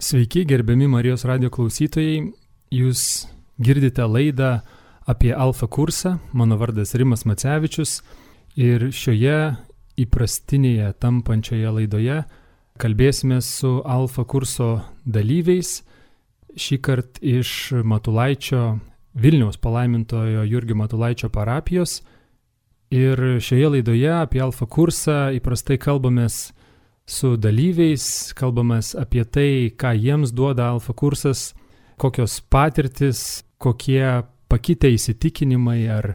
Sveiki, gerbiami Marijos radio klausytojai. Jūs girdite laidą apie Alfa kursą. Mano vardas Rimas Macevičius ir šioje įprastinėje tampančioje laidoje kalbėsime su Alfa kurso dalyviais. Šįkart iš Matulaičio, Vilniaus palaimintojo Jurgio Matulaičio parapijos. Ir šioje laidoje apie Alfa kursą įprastai kalbamės su dalyviais, kalbamės apie tai, ką jiems duoda Alfa kursas, kokios patirtis, kokie pakitę įsitikinimai ar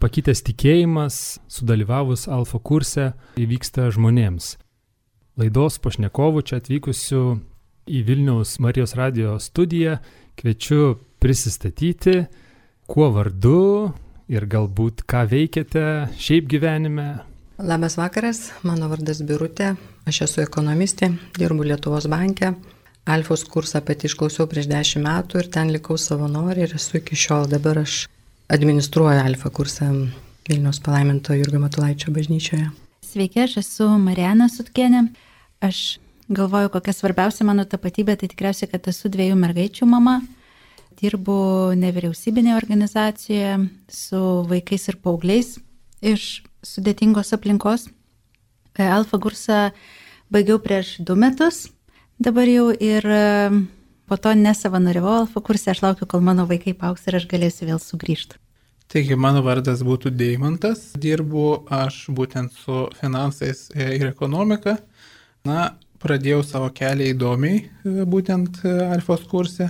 pakitęs tikėjimas sudalyvavus Alfa kurse įvyksta žmonėms. Laidos pašnekovų čia atvykusių į Vilniaus Marijos radio studiją kviečiu prisistatyti, kuo vardu ir galbūt ką veikiate šiaip gyvenime. Labas vakaras, mano vardas Birutė, aš esu ekonomistė, dirbu Lietuvos banke. Alfos kursą pati išklausiau prieš 10 metų ir ten likau savanorė ir esu iki šiol. Dabar aš administruoju Alfa kursą Vilniaus palaiminto Jurgio Matulaičio bažnyčioje. Sveiki, aš esu Marijana Sutkienė. Aš galvoju, kokia svarbiausia mano tapatybė, tai tikriausiai, kad esu 2 mergaičių mama. Dirbu nevyriausybinėje organizacijoje su vaikais ir paaugliais iš sudėtingos aplinkos. Alfa kursą baigiau prieš 2 metus, dabar jau ir po to nesavanoriavau Alfa kursą, aš laukiu, kol mano vaikai paaugs ir aš galėsiu vėl sugrįžti. Taigi, mano vardas būtų Deimantas, dirbu aš būtent su finansais ir ekonomika. Pradėjau savo kelią įdomiai, būtent Alfos kurse.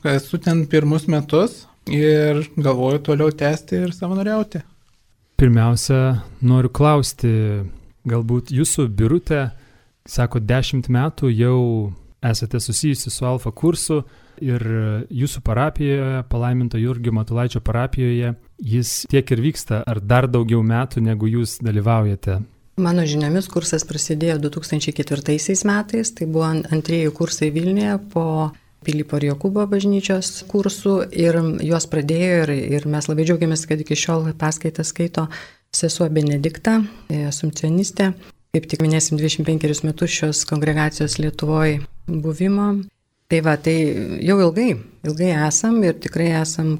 Esu ten 1 metus ir galvoju toliau tęsti ir savanoriauti. Pirmiausia, noriu klausti, galbūt jūsų Birutė, sako, 10 metų jau esate susijusi su Alfa kursu ir jūsų parapijoje, palaiminto Jurgio Matulaičio parapijoje, jis tiek ir vyksta, ar dar daugiau metų, negu jūs dalyvaujate? Mano žiniomis kursas prasidėjo 2004 metais, tai buvo antrieji kursai Vilniuje po Pilypo ir Jokūbo bažnyčios kursų ir juos pradėjo ir mes labai džiaugiamės, kad iki šiol paskaitą skaito sesuo Benedikta, asumpcionistė. Kaip tik minėsim 25 metus šios kongregacijos Lietuvoje buvimo. Tai jau ilgai esam ir tikrai esam,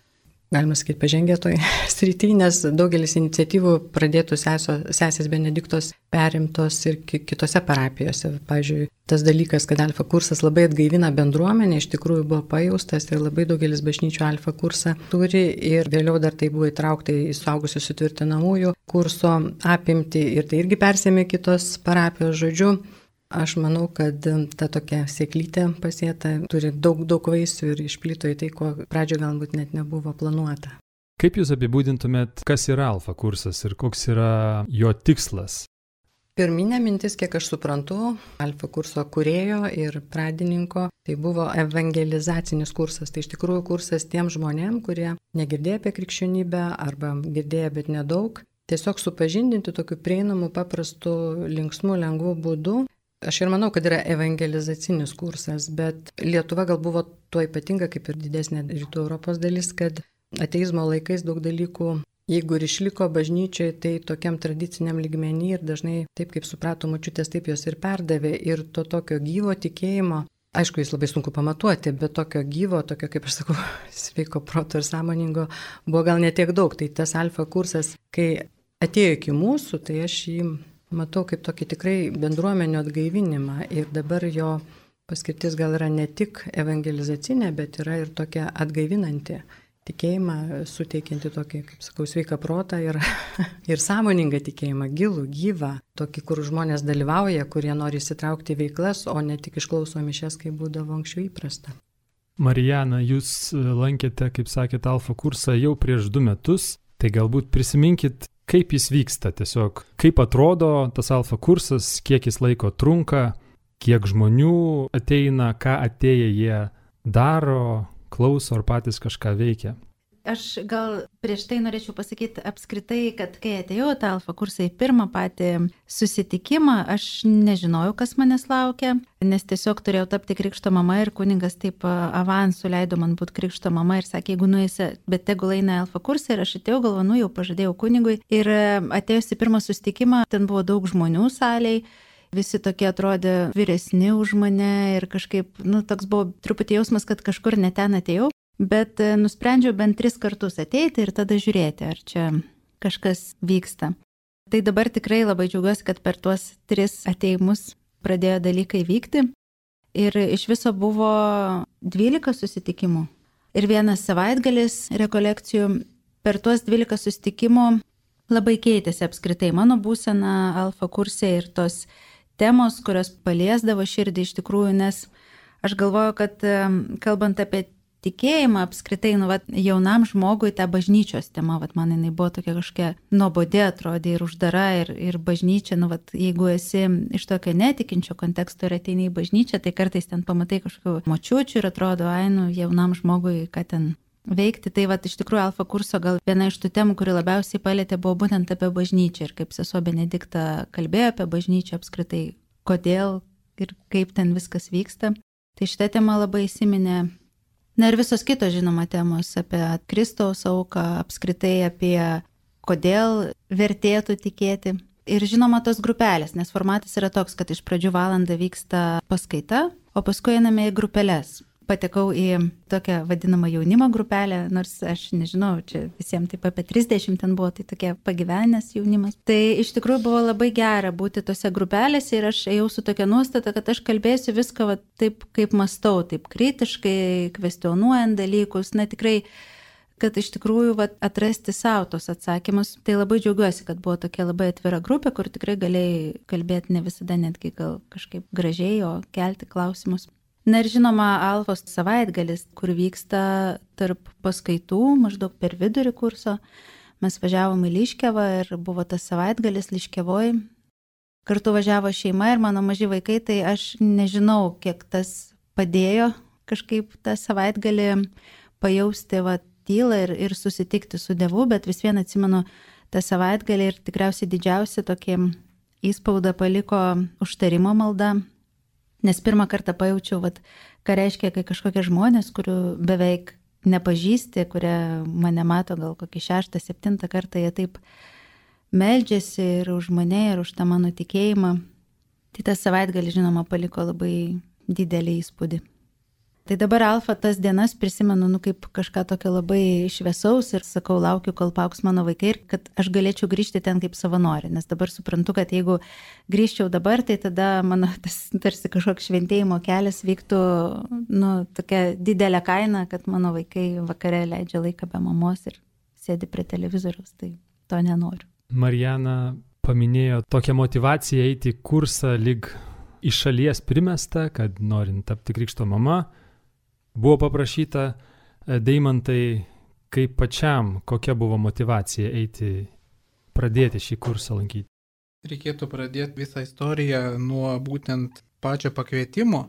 galima sakyti, pažengę toj srity, nes daugelis iniciatyvų pradėtų sesės Benediktos perimtos ir kitose parapijose. Pavyzdžiui, tas dalykas, kad Alfa kursas labai atgaivina bendruomenę, iš tikrųjų buvo pajaustas ir labai daugelis bažnyčių Alfa kursą turi ir vėliau dar tai buvo įtraukta į suaugusių sutvirtinamųjų kurso apimtį ir tai irgi persėmė kitos parapijos. Žodžiu, aš manau, kad ta tokia sėklytė pasėta turi daug vaisių ir išplito į tai, ko pradžioje galbūt net nebuvo planuota. Kaip jūs apibūdintumėt, kas yra Alfa kursas ir koks yra jo tikslas? Pirminė mintis, kiek aš suprantu, Alfa kurso kūrėjo ir pradininko, tai buvo evangelizacinis kursas. Tai iš tikrųjų kursas tiem žmonėm, kurie negirdėjo apie krikščionybę arba girdėjo, bet nedaug. Tiesiog supažindinti tokiu prieinamu, paprastu, linksmu, lengvu būdu. Aš ir manau, kad yra evangelizacinis kursas, bet Lietuva gal buvo tuo ypatinga, kaip ir didesnė rytų Europos dalis, kad ateizmo laikais daug dalykų, jeigu ir išliko bažnyčioje, tai tokiam tradiciniam lygmenį ir dažnai taip, kaip suprato močiutės, taip jos ir perdavė. Ir to tokio gyvo tikėjimo, aišku, jis labai sunku pamatuoti, bet tokio gyvo, tokio, kaip aš sakau, sveiko proto ir sąmoningo buvo gal netiek daug. Tai tas Alfa kursas, kai atėjo iki mūsų, tai aš jį matau kaip tokį tikrai bendruomenių atgaivinimą ir dabar jo paskirtis gal yra ne tik evangelizacinė, bet yra ir tokia atgaivinanti, tikėjimą suteikianti tokį, kaip sakau, sveiką protą ir sąmoningą tikėjimą, gilų, gyvą, tokį, kur žmonės dalyvauja, kurie nori įsitraukti į veiklas, o ne tik išklauso mišias, kaip būdavo anksčiau įprasta. Marijana, jūs lankėte, kaip sakėte, Alfa kursą jau prieš 2 metus, tai galbūt prisiminkit, kaip jis vyksta tiesiog, kaip atrodo tas Alfa kursas, kiek jis laiko trunka, kiek žmonių ateina, ką atėję jie daro, klauso ar patys kažką veikia. Aš gal prieš tai norėčiau pasakyti apskritai, kad kai atėjau tą Alfa kursą į pirmą patį susitikimą, aš nežinojau, kas manęs laukia, nes tiesiog turėjau tapti krikšto mama ir kunigas taip avansų leido man būti krikšto mama ir sakė, jeigu nueisi, bet tegul eina Alfa kursą ir aš atėjau, galvoju, jau pažadėjau kunigui ir atėjus į pirmą susitikimą, ten buvo daug žmonių salėj visi tokie atrodė vyresni už mane ir kažkaip, toks buvo truputį jausmas, kad kažkur ne ten atėjau, bet nusprendžiau bent 3 kartus ateiti ir tada žiūrėti, ar čia kažkas vyksta. Tai dabar tikrai labai džiaugiuosi, kad per tuos 3 ateimus pradėjo dalykai vykti ir iš viso buvo 12 susitikimų ir 1 savaitgalis rekolekcijų. Per tuos 12 susitikimų labai keitėsi apskritai mano būsena alfa kurse ir tos temos, kurios paliesdavo širdį iš tikrųjų, nes aš galvoju, kad kalbant apie tikėjimą apskritai, jaunam žmogui ta bažnyčios tema, man jinai buvo tokia kažkokia nuobodi atrodė ir uždara ir bažnyčia, jeigu esi iš tokio netikinčio konteksto ir ateini į bažnyčią, tai kartais ten pamatai kažkokių močiučių ir atrodo, jaunam žmogui, ką ten veikti. Tai iš tikrųjų alfa kurso gal viena iš tų temų, kuri labiausiai palėtė, buvo būtent apie bažnyčią ir kaip sesuo Benedikta kalbėjo apie bažnyčią apskritai, kodėl ir kaip ten viskas vyksta. Tai šitą temą labai įsiminė. Na ir visos kitos, žinoma, temos apie Kristaus auką, apskritai apie kodėl vertėtų tikėti. Ir žinoma, tos grupelės, nes formatas yra toks, kad iš pradžių valandą vyksta paskaita, o paskui einame į grupelės. Patekau į tokią vadinamą jaunimo grupelę, nors aš nežinau, čia visiems taip apie 30 ten buvo, tai tokie pagyvenęs jaunimas. Tai iš tikrųjų buvo labai gera būti tose grupelėse ir aš ėjau su tokia nuostata, kad aš kalbėsiu viską taip, kaip mąstau, taip kritiškai, kvestionuojant dalykus, tikrai, kad iš tikrųjų atrasti savo tos atsakymus. Tai labai džiaugiuosi, kad buvo tokia labai atvira grupė, kur tikrai galėjai kalbėti ne visada netgi gal kažkaip gražiai, o kelti klausimus. Na ir žinoma, alfos savaitgalis, kur vyksta tarp paskaitų, maždaug per vidurį kurso. Mes važiavom į Liškiavą ir buvo tas savaitgalis Liškiavoj. Kartu važiavo šeima ir mano maži vaikai, tai aš nežinau, kiek tas padėjo kažkaip tą savaitgalį pajausti tylą ir susitikti su Dievu, bet vis vien atsimenu tą savaitgalį ir tikriausiai didžiausia tokį įspaudą paliko užtarimo malda. Nes pirmą kartą pajaučiau, ką reiškia, kai kažkokie žmonės, kurių beveik nepažįsti, kurie mane mato gal kokį 6-7 kartą, jie taip meldžiasi ir už mane, ir už tą mano tikėjimą. Tai tas savaitgalį, žinoma, paliko labai didelį įspūdį. Tai dabar alfa tas dienas prisimenu, kaip kažką tokio labai šviesaus ir sakau, laukiu, kol paaugs mano vaikai ir kad aš galėčiau grįžti ten kaip savanorė, nes dabar suprantu, kad jeigu grįžčiau dabar, tai tada mano tas tarsi kažkoks šventėjimo kelias vyktų, tokia didelė kaina, kad mano vaikai vakare leidžia laiką be mamos ir sėdi prie televizoriaus, tai to nenoriu. Marijana paminėjo tokią motivaciją eiti į kursą lyg iš šalies primesta, kad norint tapti krikšto mama. Buvo paprašyta Deimantai, kaip pačiam, kokia buvo motivacija pradėti šį kursą lankyti. Reikėtų pradėti visą istoriją nuo būtent pačio pakvietimo.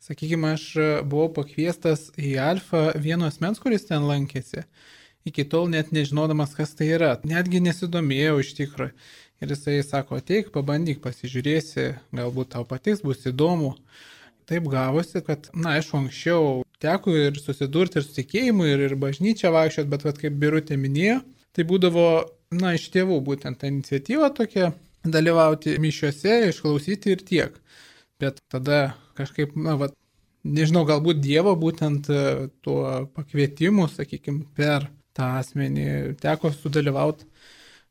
Sakykime, aš buvau pakviestas į alfą vieno asmens, kuris ten lankėsi. Iki tol net nežinodamas, kas tai yra. Netgi nesidomėjau iš tikrųjų. Ir jisai sako, ateik, pabandyk, pasižiūrėsi, galbūt tau patiks, bus įdomu. Taip gavosi, kad, aišku, anksčiau teko ir susidurti ir su tikėjimu, ir bažnyčia vaikščiot, bet kaip Birutė minėjo, tai būdavo, iš tėvų būtent ta iniciatyva tokia, dalyvauti mišiuose, išklausyti ir tiek. Bet tada kažkaip, nežinau, galbūt Dievo būtent tuo pakvietimu, sakykime, per tą asmenį teko sudalyvauti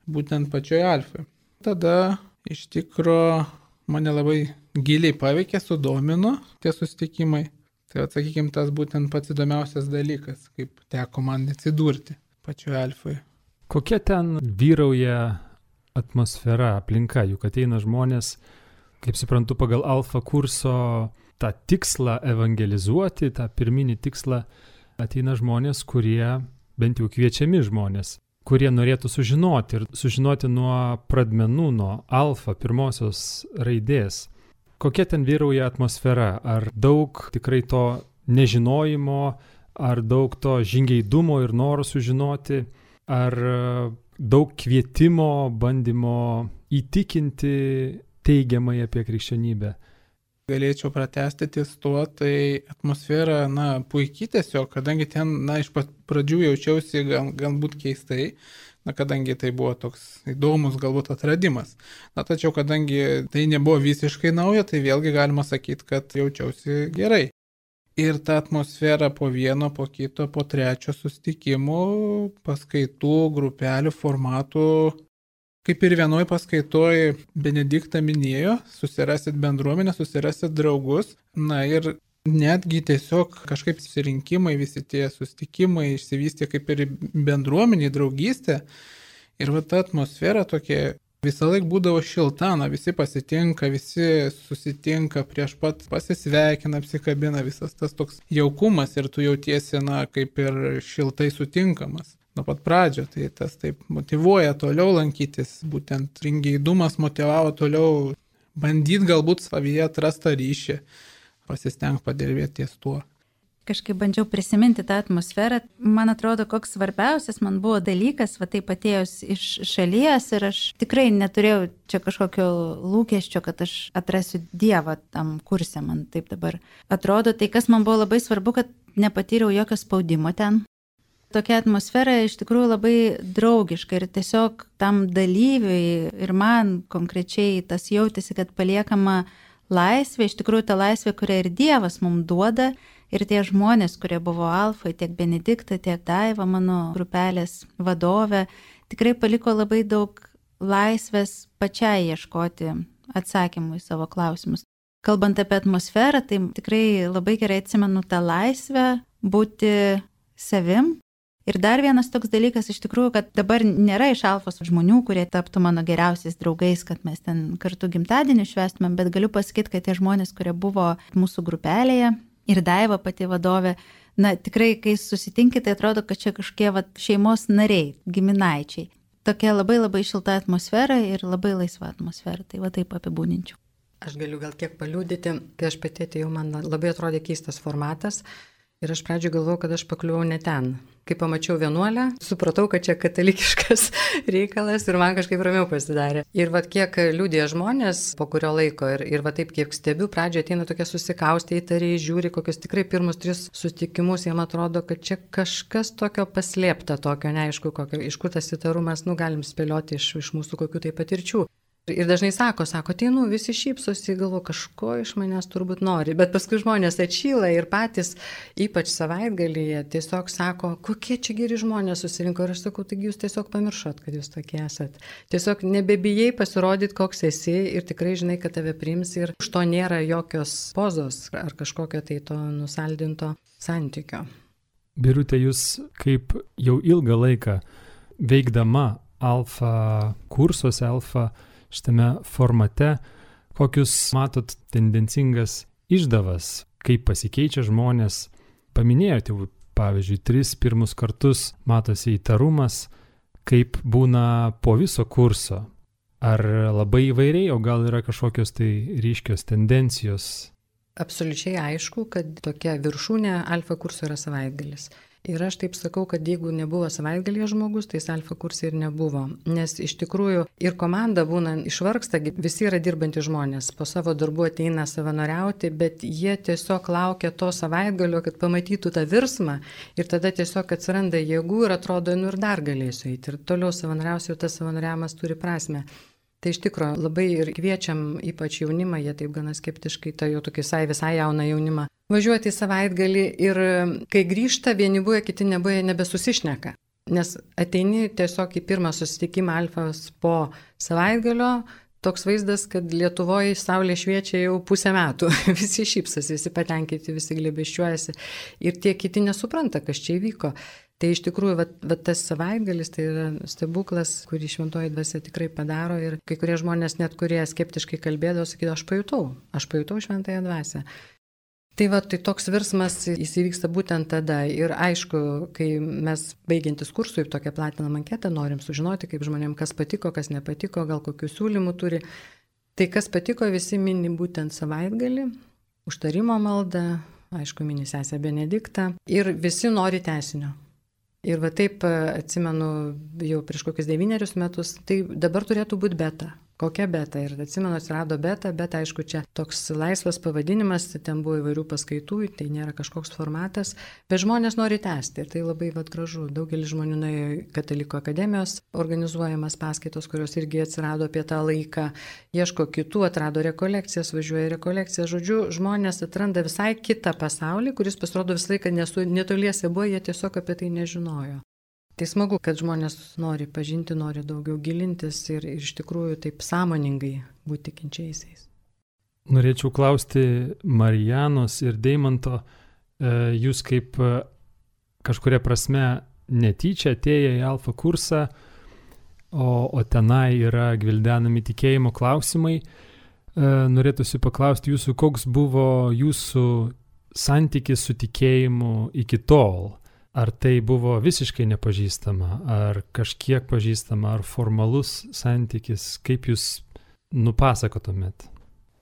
būtent pačioje alfoje. Tada iš tikro mane labai giliai paveikė, sudomino tie susitikimai. Tai sakykime, tas būtent pats įdomiausias dalykas, kaip teko man atsidurti pačioje alfoje. Kokia ten vyrauja atmosfera, aplinka, juk ateina žmonės, kaip suprantu, pagal alfa kurso tą tikslą evangelizuoti, tą pirminį tikslą, ateina žmonės, kurie, bent jau kviečiami žmonės, kurie norėtų sužinoti nuo pradmenų, nuo alfa pirmosios raidės. Kokia ten vyrauja atmosfera? Ar daug tikrai to nežinojimo, ar daug to žingeidumo ir noro sužinoti, ar daug kvietimo, bandymo įtikinti teigiamai apie krikščionybę? Galėčiau pratęsti ties tuo, tai atmosfera, puikiai tiesiog, kadangi ten, iš pat pradžių jaučiausi galbūt keistai, kadangi tai buvo toks įdomus galbūt atradimas. Tačiau kadangi tai nebuvo visiškai nauja, tai vėlgi galima sakyti, kad jaučiausi gerai. Ir ta atmosfera po vieno, po kito, po trečio susitikimų, paskaitų, grupelių, formatų, kaip ir vienoj paskaitoj Benediktą minėjo, susirasit bendruomenę, susirasit draugus, ir netgi tiesiog kažkaip susirinkimai, visi tie susitikimai išsivystė kaip ir bendruomeniai, draugystė. Ir ta atmosfera tokia visą laiką būdavo šilta, visi pasitinka, visi susitinka, prieš pat pasisveikina, apsikabina, visas tas toks jaukumas ir tu jautiesi, kaip ir šiltai sutinkamas. Nuo pat pradžio, tai tas taip motyvuoja toliau lankytis, būtent ringeidumas motyvavo toliau bandyti galbūt savyje atrastą ryšį, pasistengti padirbėti ties tuo. Kažkaip bandžiau prisiminti tą atmosferą. Man atrodo, koks svarbiausias man buvo dalykas, taip atėjus iš šalies ir aš tikrai neturėjau čia kažkokio lūkesčio, kad aš atrasiu Dievą tam kurse, man taip dabar atrodo. Tai kas man buvo labai svarbu, kad nepatyriau jokio spaudimo ten. Tokia atmosfera iš tikrųjų labai draugiška ir tiesiog tam dalyviui ir man konkrečiai tas jautėsi, kad paliekama laisvė, iš tikrųjų ta laisvė, kurią ir Dievas mums duoda. Ir tie žmonės, kurie buvo Alfai, tiek Benedikta, tiek Daiva, mano grupelės vadovė, tikrai paliko labai daug laisvės pačiai ieškoti atsakymų į savo klausimus. Kalbant apie atmosferą, tai tikrai labai gerai atsimenu tą laisvę būti savim. Ir dar vienas toks dalykas iš tikrųjų, kad dabar nėra iš Alfos žmonių, kurie taptų mano geriausiais draugais, kad mes ten kartu gimtadienį švęstumėm, bet galiu pasakyti, kad tie žmonės, kurie buvo mūsų grupelėje, ir Daiva pati vadovė, tikrai, kai susitinkite, tai atrodo, kad čia kažkokie šeimos nariai, giminaičiai. Tokia labai labai šilta atmosfera ir labai laisva atmosfera, tai taip apibūdinčiau. Aš galiu gal kiek paliudyti, kai aš pati atėjau, man labai atrodė keistas formatas ir aš pradžioje galvojau, kad aš pakliuvau ne ten. Kai pamačiau vienuolę, supratau, kad čia katalikiškas reikalas ir man kažkaip ramiau pasidarė. Ir kiek liudija žmonės po kurio laiko ir taip kiek stebiu, pradžioje ateina tokie susikaustę įtariai, žiūri kokius tikrai pirmus 3 susitikimus, jiem atrodo, kad čia kažkas tokio paslėpta, tokio neaišku, iš kur tas įtarumas, galim spėlioti iš mūsų kokių tai patirčių. Ir dažnai sako, ateinu, visi šypsosi, galvo, kažko iš manęs turbūt nori, bet paskui žmonės atšyla ir patys, ypač savaitgalyje, tiesiog sako, kokie čia geri žmonės susirinko ir aš sakau, taigi jūs tiesiog pamiršot, kad jūs tokie esat. Tiesiog nebebijai pasirodyti, koks esi ir tikrai žinai, kad tave priims ir už to nėra jokios pozos ar kažkokio tai to nusaldinto santykio. Birute, jūs kaip jau ilgą laiką veikdama Alfa kursuose, Alfa šitame formate, kokius matot tendencingas išdavas, kaip pasikeičia žmonės. Paminėjote, pavyzdžiui, 3 pirmus kartus matosi įtarumas, kaip būna po viso kurso. Ar labai įvairiai, o gal yra kažkokios tai ryškios tendencijos? Absoliučiai aišku, kad tokia viršūnė Alfa kurso yra savaitgalis. Ir aš taip sakau, kad jeigu nebuvo savaitgalyje žmogus, tai Alfa kurse ir nebuvo. Nes iš tikrųjų ir komanda būna išvargsta, visi yra dirbantys žmonės, po savo darbų ateina savanoriauti, bet jie tiesiog laukia to savaitgalio, kad pamatytų tą virsmą ir tada tiesiog atsiranda jėgų ir atrodo, ir dar galėsiu eiti. Ir toliau savanoriausiu, tas savanoriavimas turi prasmę. Tai iš tikrųjų labai ir kviečiam ypač jaunimą, jie taip gana skeptiškai, tai jau tokį visai jauną jaunimą, važiuoti į savaitgalį ir kai grįžta, vieni buvę, kiti nebuvę, nebesusišneka. Nes ateini tiesiog į pirmą susitikimą Alfos po savaitgalio, toks vaizdas, kad Lietuvoje saulė šviečia jau 5 metų, visi šypsosi, visi patenkinti, visi glėbesčiuojasi ir tie kiti nesupranta, kas čia įvyko. Tai iš tikrųjų, tas savaitgalis tai yra stebuklas, kurį šventoji dvasia tikrai padaro ir kai kurie žmonės, net kurie skeptiškai kalbėdavo, sakydavo, aš pajutau šventąją dvasią. Tai toks virsmas jis įvyksta būtent tada ir aišku, kai mes baigiantis kursui tokią platinamą anketą norim sužinoti, kaip žmonėm kas patiko, kas nepatiko, gal kokių siūlymų turi. Tai kas patiko, visi mini būtent savaitgalį, užtarimo maldą, aišku, mini sesę Benediktą ir visi nori tęsinio. Ir taip atsimenu jau prieš kokius 9 metus, tai dabar turėtų būti beta. kokia beta. Ir atsimenu, atsirado beta, bet aišku, čia toks laisvas pavadinimas, ten buvo įvairių paskaitų, tai nėra kažkoks formatas, bet žmonės nori tęsti ir tai labai gražu. Daugelis žmonių nuėjo į Katalikų akademijos organizuojamas paskaitos, kurios irgi atsirado apie tą laiką, ieško kitų, atrado rekolekcijas, važiuoja į rekolekcijas. Žodžiu, žmonės atranda visai kitą pasaulį, kuris pasirodo visą laiką netoliese buvo, jie tiesiog apie tai nežinojo. Tai smagu, kad žmonės nori pažinti, nori daugiau gilintis ir iš tikrųjų taip sąmoningai būti tikinčiaisiais. Norėčiau klausti Marijanos ir Deimanto, jūs kaip kažkuria prasme netyčia atėję į Alfa kursą, o tenai yra gvildenami tikėjimo klausimai, norėtųsi paklausti jūsų, koks buvo jūsų santykis su tikėjimu iki tol. Ar tai buvo visiškai nepažįstama, ar kažkiek pažįstama, ar formalus santykis, kaip jūs nupasakotumėt?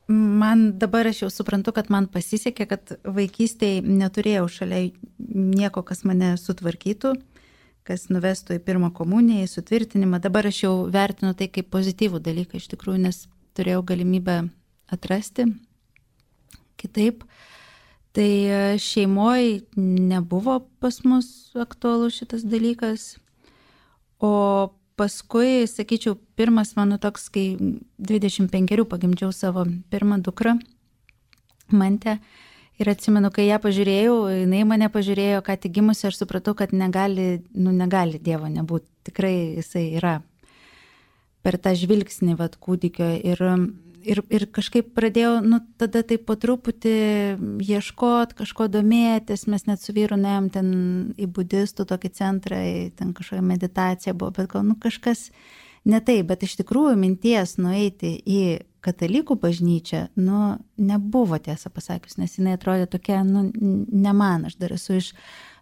Man dabar aš jau suprantu, kad man pasisekė, kad vaikystėje neturėjau šalia nieko, kas mane sutvarkytų, kas nuvestų į pirmą komuniją, į sutvirtinimą. Dabar aš jau vertinu tai kaip pozityvų dalyką iš tikrųjų, nes turėjau galimybę atrasti kitaip. Tai šeimoje nebuvo pas mus aktualus šitas dalykas, o paskui, sakyčiau, pirmas mano toks, kai 25 pagimdžiau savo pirmą dukrą, Mantę, ir atsimenu, kai ją pažiūrėjau, jinai mane pažiūrėjo, ką tik gimusi, aš supratau, kad negali Dievo nebūti, tikrai jisai yra per tą žvilgsnį kūdikio ir kažkaip pradėjau, tada taip po truputį ieškot, kažko domėtis, mes net su vyru nuėjom ten į budistų tokį centrą, ten kažkokia meditacija buvo, bet gal kažkas ne taip, bet iš tikrųjų minties nueiti į katalikų bažnyčią, nebuvo, tiesą pasakius, nes jinai atrodė tokia, ne man, aš dar esu iš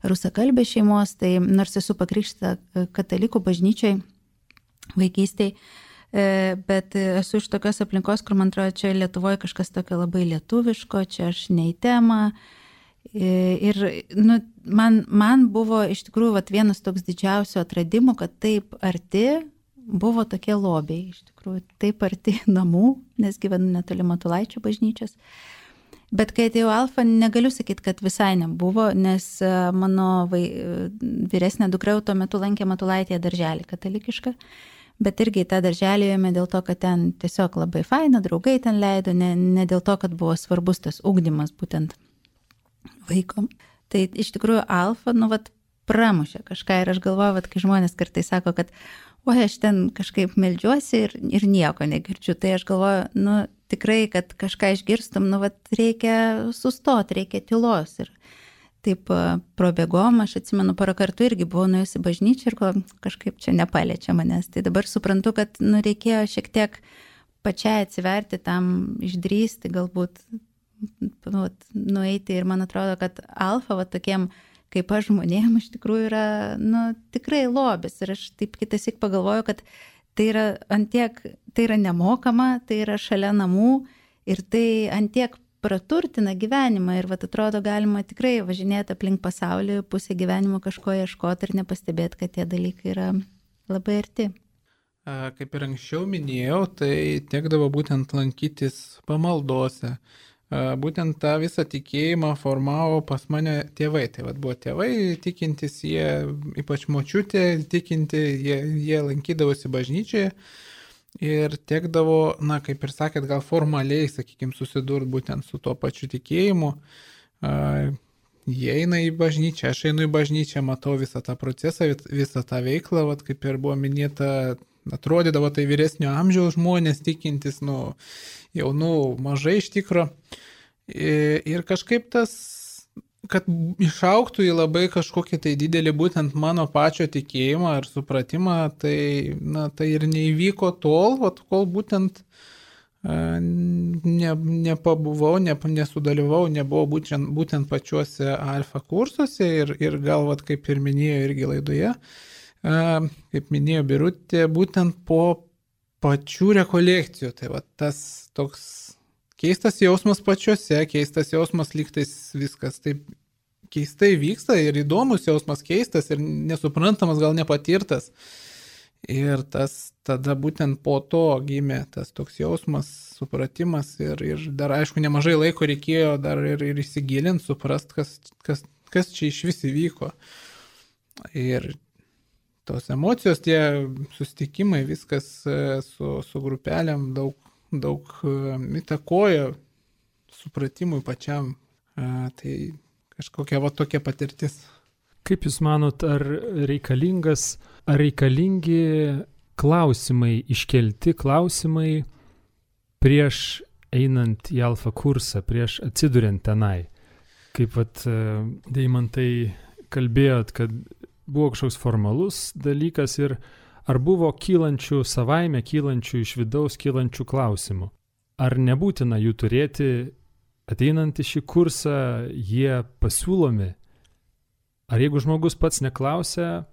rusakalbės šeimos, tai nors esu pakrikštyta katalikų bažnyčiai vaikystėje, bet esu iš tokios aplinkos, kur man atrodo, čia Lietuvoje kažkas tokio labai lietuviško, čia aš ne į temą. Ir man buvo iš tikrųjų vienas toks didžiausių atradimų, kad taip arti buvo tokie lobiai, iš tikrųjų taip arti namų, nes gyvenu netoli Matulaičio bažnyčios. Bet kai atėjau Alfa, negaliu sakyti, kad visai nebuvo, nes mano vyresnė dukra tuo metu lankė Matulaitėje darželį katalikišką. Bet irgi tą darželį ėjome dėl to, kad ten tiesiog labai faina, draugai ten leido, ne dėl to, kad buvo svarbus tas ugdymas būtent vaiko. Tai iš tikrųjų Alfa, pramušė kažką ir aš galvoju, kai žmonės kartais sako, kad aš ten kažkaip meldžiuosi ir nieko negirdžiu, tai aš galvoju, tikrai, kad kažką išgirstum, reikia sustoti, reikia tylos ir taip probėgom, aš atsimenu, porą kartų irgi buvau nuėjusi bažnyčią ir kažkaip čia nepaliečia manęs. Tai dabar suprantu, kad reikėjo šiek tiek pačiai atsiverti tam, išdrįsti, galbūt nueiti ir man atrodo, kad Alfa tokiem kaip aš žmonėm iš tikrųjų yra tikrai lobis ir aš taip kitasik pagalvoju, kad tai yra antiek, tai yra nemokama, tai yra šalia namų ir tai antiek praturtina gyvenimą ir atrodo galima tikrai važinėti aplink pasaulį, pusę gyvenimo kažko ieškoti ir nepastebėti, kad tie dalykai yra labai arti. Kaip ir anksčiau minėjau, tai tekdavo būtent lankytis pamaldose. Būtent tą visą tikėjimą formavo pas mane tėvai. Tai buvo tėvai tikintis, jie, ypač močiutė tikinti, jie lankydavosi bažnyčioje. Ir tekdavo, kaip ir sakėt, gal formaliai, sakykime, susidurti būtent su tuo pačiu tikėjimu. Jie eina į bažnyčią, aš einu į bažnyčią, matau visą tą procesą, visą tą veiklą, kaip ir buvo minėta, atrodydavo tai vyresnio amžiaus žmonės tikintis, jaunų mažai iš tikro. Ir kažkaip tas, kad išaugtų į labai kažkokį tai didelį būtent mano pačio tikėjimą ir supratimą, tai ir neįvyko tol, kol būtent nepabuvau, nesudalyvau, nebuvau būtent pačiuose Alfa kursuose ir gal, kaip ir minėjo irgi laidoje, kaip minėjo Birutė, būtent po pačių rekolekcijų. Tai tas toks keistas jausmas pačiuose, keistas jausmas lygtais viskas taip keistai vyksta ir įdomus jausmas keistas ir nesuprantamas, gal nepatirtas. Ir tada būtent po to gimė tas toks jausmas, supratimas ir dar aišku nemažai laiko reikėjo dar ir įsigilinti, suprast, kas čia iš vis įvyko. Ir tos emocijos, tie susitikimai, viskas su grupelėm daug įtakoja supratimui pačiam. Tai kažkokia tokia patirtis. Kaip Jūs manot, ar reikalingi klausimai, iškelti klausimai prieš einant į alfa kursą, prieš atsiduriant tenai? Kaip Deimantai kalbėjot, kad buvo kažkoks formalus dalykas ir ar buvo savaime kylančių iš vidaus kylančių klausimų? Ar nebūtina jų turėti ateinant į šį kursą, jie pasiūlomi? Ar jeigu žmogus pats neklausia,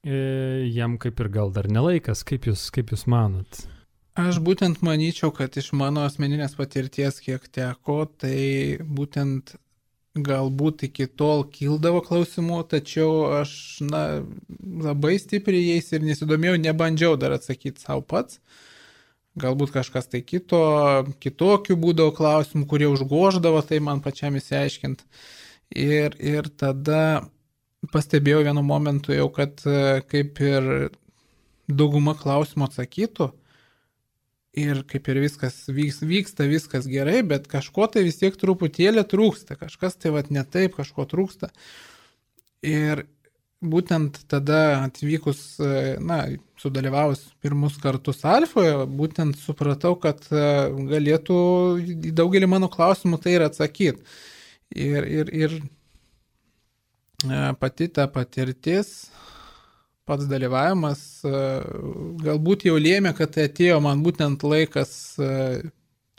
jam kaip ir gal dar nelaikas, kaip jūs manot? Aš būtent manyčiau, kad iš mano asmeninės patirties, kiek teko, tai būtent galbūt iki tol kildavo klausimų, tačiau aš labai stipriai jais ir nesidomėjau, nebandžiau dar atsakyti savo pats. Galbūt kažkas tai kitokių būdavo klausimų, kurie užgoždavo, tai man pačiam įsiaiškinti. Ir tada pastebėjau vienu momentu jau, kad kaip ir dauguma klausimų atsakytų ir kaip ir viskas vyksta viskas gerai, bet kažko tai vis tiek truputėlį trūksta, kažkas tai ne taip, kažko trūksta. Ir būtent tada atvykus, sudalyvavus pirmus kartus Alfoje, būtent supratau, kad galėtų į daugelį mano klausimų tai ir atsakyti. Ir pati ta patirtis, pats dalyvavimas galbūt jau lėmė, kad atėjo man būtent laikas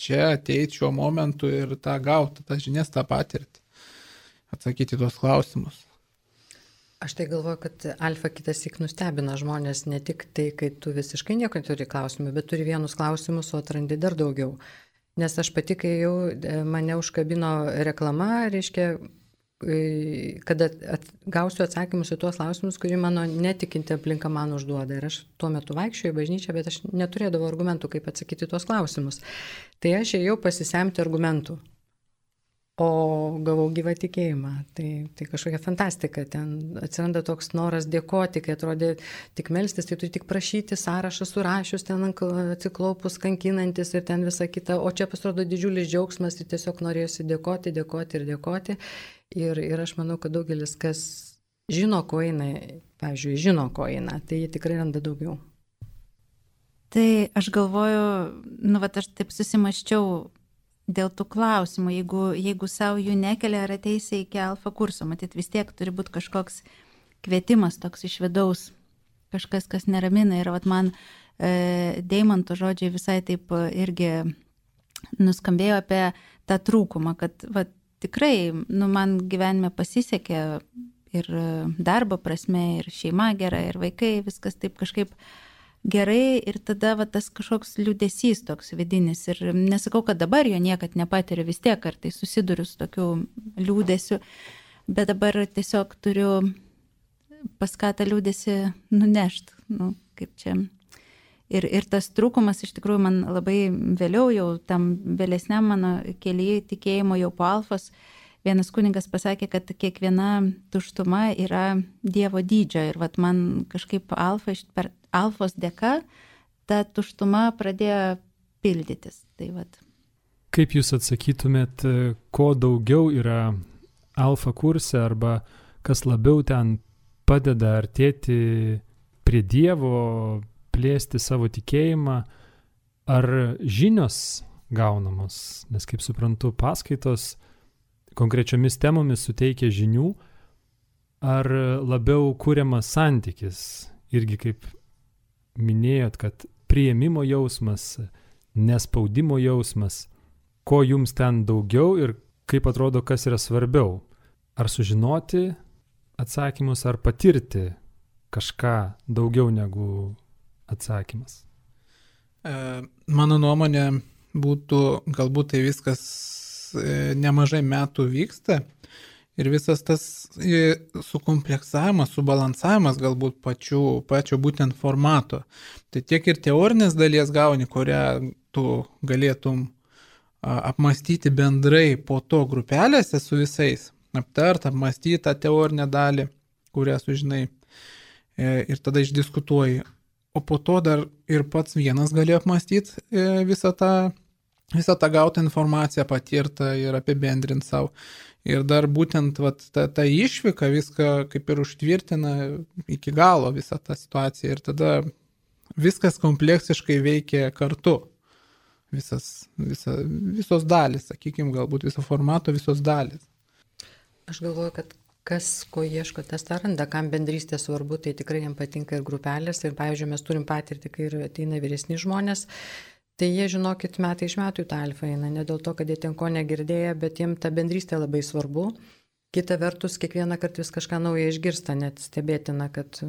čia ateiti šiuo momentu ir tą gauti, tą žinias, tą patirtį, atsakyti tuos klausimus. Aš tai galvoju, kad Alfa kitąsyk nustebina žmonės ne tik tai, kai tu visiškai nieko turi klausimų, bet turi vienus klausimus, o atrandi dar daugiau. Nes aš pati, kai jau mane užkabino reklama, reiškia, kada gausiu atsakymus į tuos klausimus, kurį mano netikinti aplinka man užduoda. Ir aš tuo metu vaikščioju į bažnyčią, bet aš neturėdavau argumentų, kaip atsakyti tuos klausimus. Tai aš ėjau pasisemti argumentų, o gavau gyvą tikėjimą. Tai kažkokia fantastika. Ten atsiranda toks noras dėkoti, kai atrodė tik melstis, tai tu tik prašyti, sąrašą surašius, ten atsiklaupus, kankinantis ir ten visa kita. O čia pasirodo didžiulis džiaugsmas ir tiesiog norėjusi dėkoti. Ir aš manau, kad daugelis, kas žino, ko eina, tai jie tikrai randa daugiau. Tai aš galvoju, aš taip susimaščiau dėl tų klausimų, jeigu savo jų nekelia ar ateisi iki alfa kurso, matyt, vis tiek turi būti kažkoks kvietimas toks iš vidaus, kažkas, kas neramina. Ir man Deimanto žodžiai visai taip irgi nuskambėjo apie tą trūkumą, kad tikrai, man gyvenime pasisekė ir darbo prasme, ir šeima gera, ir vaikai, viskas taip kažkaip gerai, ir tada tas kažkoks liūdesys toks vidinis. Ir nesakau, kad dabar jo niekad nepatiriu, vis tiek kartais susiduriu su tokiu liūdesiu, bet dabar tiesiog turiu pas ką tą liūdesį nunešti, kaip čia. Ir tas trūkumas iš tikrųjų man labai vėliau, jau tam vėlesniam mano kelyje tikėjimo jau po alfos, vienas kunigas pasakė, kad kiekviena tuštuma yra Dievo dydžio. Ir man kažkaip per alfos dėka ta tuštuma pradėjo pildytis. Kaip jūs atsakytumėt, ko daugiau yra alfa kurse arba kas labiau ten padeda artėti prie Dievo, plėsti savo tikėjimą, ar žinios gaunamos? Nes kaip suprantu, paskaitos konkrečiomis temomis suteikia žinių, ar labiau kuriamas santykis, irgi kaip minėjot, kad priėmimo jausmas, nespaudimo jausmas, ko jums ten daugiau ir kaip atrodo, kas yra svarbiau, ar sužinoti atsakymus, ar patirti kažką daugiau negu atsakymas? Mano nuomonė būtų, galbūt tai viskas nemažai metų vyksta Ir visas tas sukompleksavimas, subalansavimas galbūt pačio būtent formato. Tai tiek ir teorinės dalies gauni, kurią tu galėtum apmastyti bendrai po to grupelėse su visais, apmastyti tą teorinę dalį, kurią sužinai ir tada išdiskutuoji. O po to dar ir pats vienas gali apmastyti visą tą gautą informaciją, patirtą ir apibendrinti savo. Ir dar būtent ta išvyka viską kaip ir užtvirtina iki galo visą tą situaciją. Ir tada viskas kompleksiškai veikia kartu. Visos dalys, sakykime, galbūt viso formato visos dalys. Aš galvoju, kad kas ko ieško, tas tą randa, kam bendrystė svarbu, tai tikrai jam patinka ir grupelės. Ir, pavyzdžiui, mes turim patirtį, kai ir ateina vyresni žmonės, tai jie, žinokit, metai iš metų į tą alfą eina, ne dėl to, kad jie ten ko negirdėjo, bet jiem ta bendrystė labai svarbu. Kita vertus, kiekvieną kartą vis kažką naują išgirsta, net stebėtina, kad,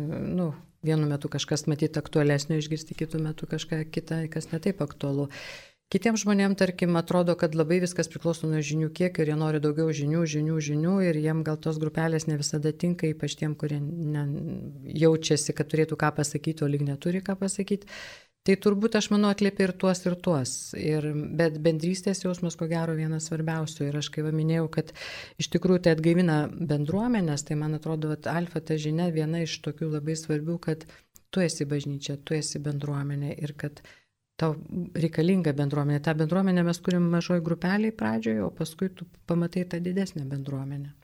vienu metu kažkas matyti aktualesnio išgirsti, kitų metų kažką kitą, kas netaip aktualu. Kitiems žmonėms, tarkim, atrodo, kad labai viskas priklauso nuo žinių kiekio ir jie nori daugiau žinių ir jiem gal tos grupelės ne visada tinka, ypač tiem, kurie jaučiasi, kad turėtų ką pasakyti, o lyg neturi ką pasakyti. Tai turbūt, aš manau, atliepia ir tuos. Bet bendrystės jausmas, ko gero, vienas svarbiausių. Ir aš kai minėjau, kad iš tikrųjų tai atgaivina bendruomenės, tai man atrodo, alfa ta žinia viena iš tokių labai svarbių, kad tu esi bažnyčia, tu esi bendruomenė ir kad tau reikalinga bendruomenė. Ta bendruomenė mes turim mažoj grupeliai pradžioje, o paskui tu pamatai tą didesnę bendruomenę.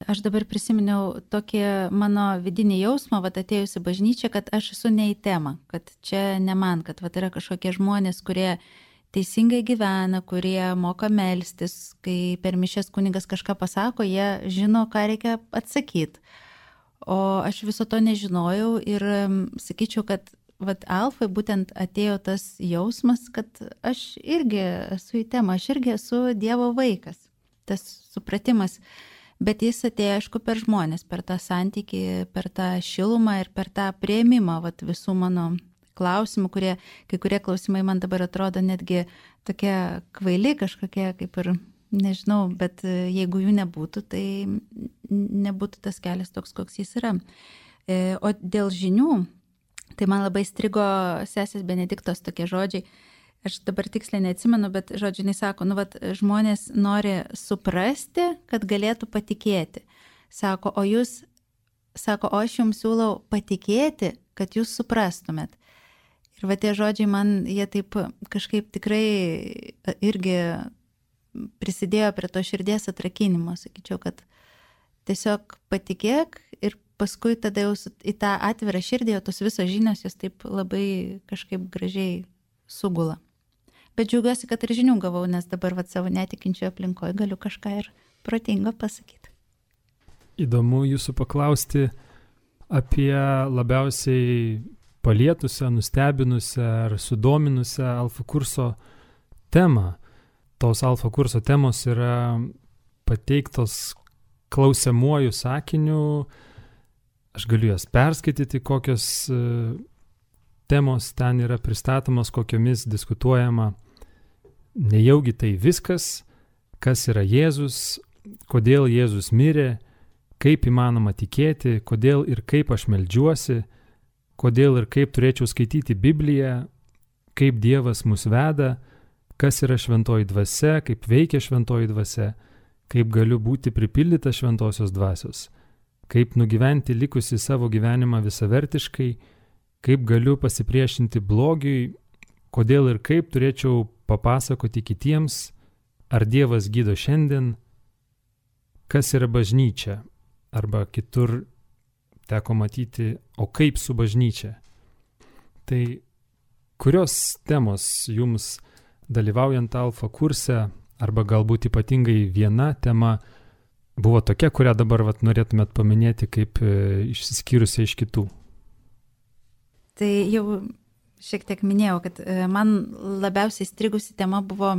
Aš dabar prisiminiau tokį mano vidinį jausmą, atėjusi bažnyčia, kad aš esu ne į temą, kad čia ne man, kad yra kažkokie žmonės, kurie teisingai gyvena, kurie moka melstis, kai per mišias kunigas kažką pasako, jie žino, ką reikia atsakyti. O aš viso to nežinojau ir sakyčiau, kad alfai būtent atėjo tas jausmas, kad aš irgi esu į temą, aš irgi esu Dievo vaikas, tas supratimas. Bet jis atėjo, aišku, per žmonės, per tą santykį, per tą šilumą ir per tą priėmimą visų mano klausimų, kai kurie klausimai man dabar atrodo netgi tokie kvaili kažkokie, kaip ir, nežinau, bet jeigu jų nebūtų, tai nebūtų tas kelias toks, koks jis yra. O dėl žinių, tai man labai strigo sesės Benediktos tokie žodžiai. Aš dabar tiksliai neatsimenu, bet žodžiu, jis sako, žmonės nori suprasti, kad galėtų patikėti. Sako, o aš jums siūlau patikėti, kad jūs suprastumėt. Ir tie žodžiai man, jie taip kažkaip tikrai irgi prisidėjo prie to širdies atrakinimo. Sakyčiau, kad tiesiog patikėk ir paskui tada jau į tą atvirą širdį, o tos visos žinios jos taip labai kažkaip gražiai sugula. Bet džiaugiuosi, kad ir žinių gavau, nes dabar savo netikinčioje aplinkoje galiu kažką ir protingo pasakyti. Įdomu jūsų paklausti apie labiausiai palietusią, nustebinusią ar sudominusią alfa kurso temą. Tos alfa kurso temos yra pateiktos klausiamuoju sakiniu. Aš galiu jas perskaityti, kokios temos ten yra pristatomos, kokiomis diskutuojama. Nejaugi tai viskas, kas yra Jėzus, kodėl Jėzus mirė, kaip įmanoma tikėti, kodėl ir kaip aš meldžiuosi, kodėl ir kaip turėčiau skaityti Bibliją, kaip Dievas mus veda, kas yra šventoji dvasia, kaip veikia šventoji dvasia, kaip galiu būti pripildyta šventosios dvasios, kaip nugyventi likusi savo gyvenimą visavertiškai, kaip galiu pasipriešinti blogiui, kodėl ir kaip turėčiau papasakoti kitiems, ar Dievas gydo šiandien, kas yra bažnyčia, arba kitur teko matyti, o kaip su bažnyčia. Tai kurios temos jums dalyvaujant alfa kurse, arba galbūt ypatingai viena tema, buvo tokia, kurią dabar norėtumėt paminėti kaip išsiskyrusią iš kitų? Tai jau šiek tiek minėjau, kad man labiausiai strigusi tema buvo,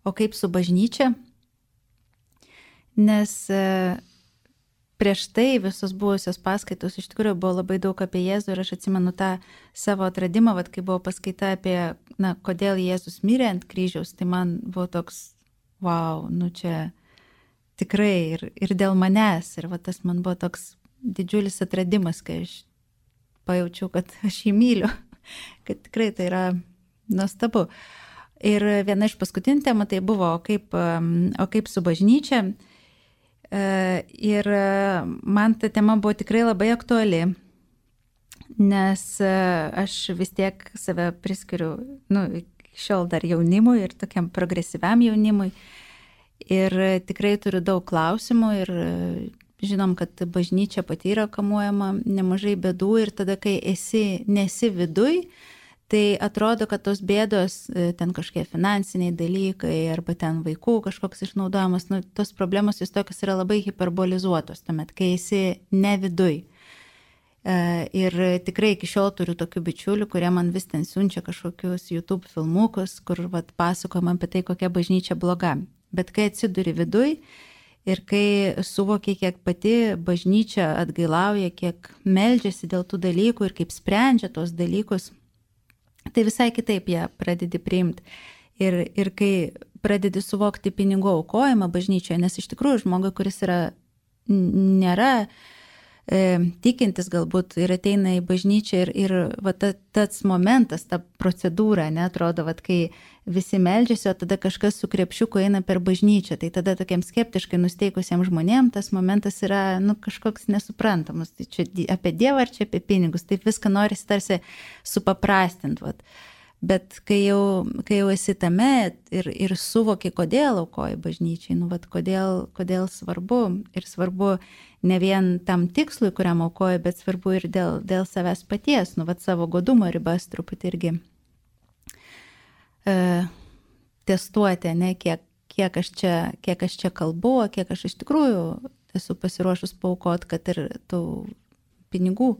o kaip su bažnyčia, nes prieš tai visos buvusios paskaitos iš tikrųjų buvo labai daug apie Jėzų ir aš atsimenu tą savo atradimą, kai buvo paskaita apie, kodėl Jėzus mirė ant kryžiaus, tai man buvo toks, wow, čia tikrai ir dėl manęs. Ir va, tas man buvo toks didžiulis atradimas, kai aš pajaučiau, kad aš jį myliu, kad tikrai tai yra nuostabu. Ir viena iš paskutinių temų tai buvo, o kaip su bažnyčia. Ir man ta tema buvo tikrai labai aktuali, nes aš vis tiek save priskiriu, iki šiol dar jaunimui ir tokiam progresyviam jaunimui. Ir tikrai turiu daug klausimų ir žinom, kad bažnyčia pati yra kamuojama nemažai bėdų ir tada, kai nesi viduj, tai atrodo, kad tos bėdos, ten kažkokie finansiniai dalykai arba ten vaikų kažkoks išnaudojimas, tos problemos vis tokios yra labai hiperbolizuotos, tuomet, kai esi ne viduj. Ir tikrai iki šiol turiu tokių bičiulių, kurie man vis ten siunčia kažkokius YouTube filmukus, kur pasakojama apie tai, kokia bažnyčia bloga. Bet kai atsiduri viduj ir kai suvoki, kiek pati bažnyčia atgailauja, kiek meldžiasi dėl tų dalykų ir kaip sprendžia tos dalykus, tai visai kitaip ją pradedi priimti. Ir kai pradedi suvokti pinigų aukojimą bažnyčioje, nes iš tikrųjų žmogui, kuris nėra tikintis galbūt ir ateina į bažnyčią ir va, tas momentas, ta procedūra, atrodo, va, kai visi meldžiasi, o tada kažkas su krepšiuku eina per bažnyčią, tai tada tokiam skeptiškai nusteikusiems žmonėms tas momentas yra kažkoks nesuprantamas. Tai čia apie Dievą ar čia apie pinigus, taip viską norisi tarsi supaprastinti. Va. Bet kai jau esi tame ir suvoki, kodėl aukoji bažnyčiai, va, kodėl svarbu ir svarbu ne vien tam tikslui, kuriam aukoji, bet svarbu ir dėl savęs paties, va, savo godumo ribas truputį irgi testuoti, kiek aš čia kalbu, kiek aš iš tikrųjų esu pasiruošus paaukoti, kad ir tų pinigų.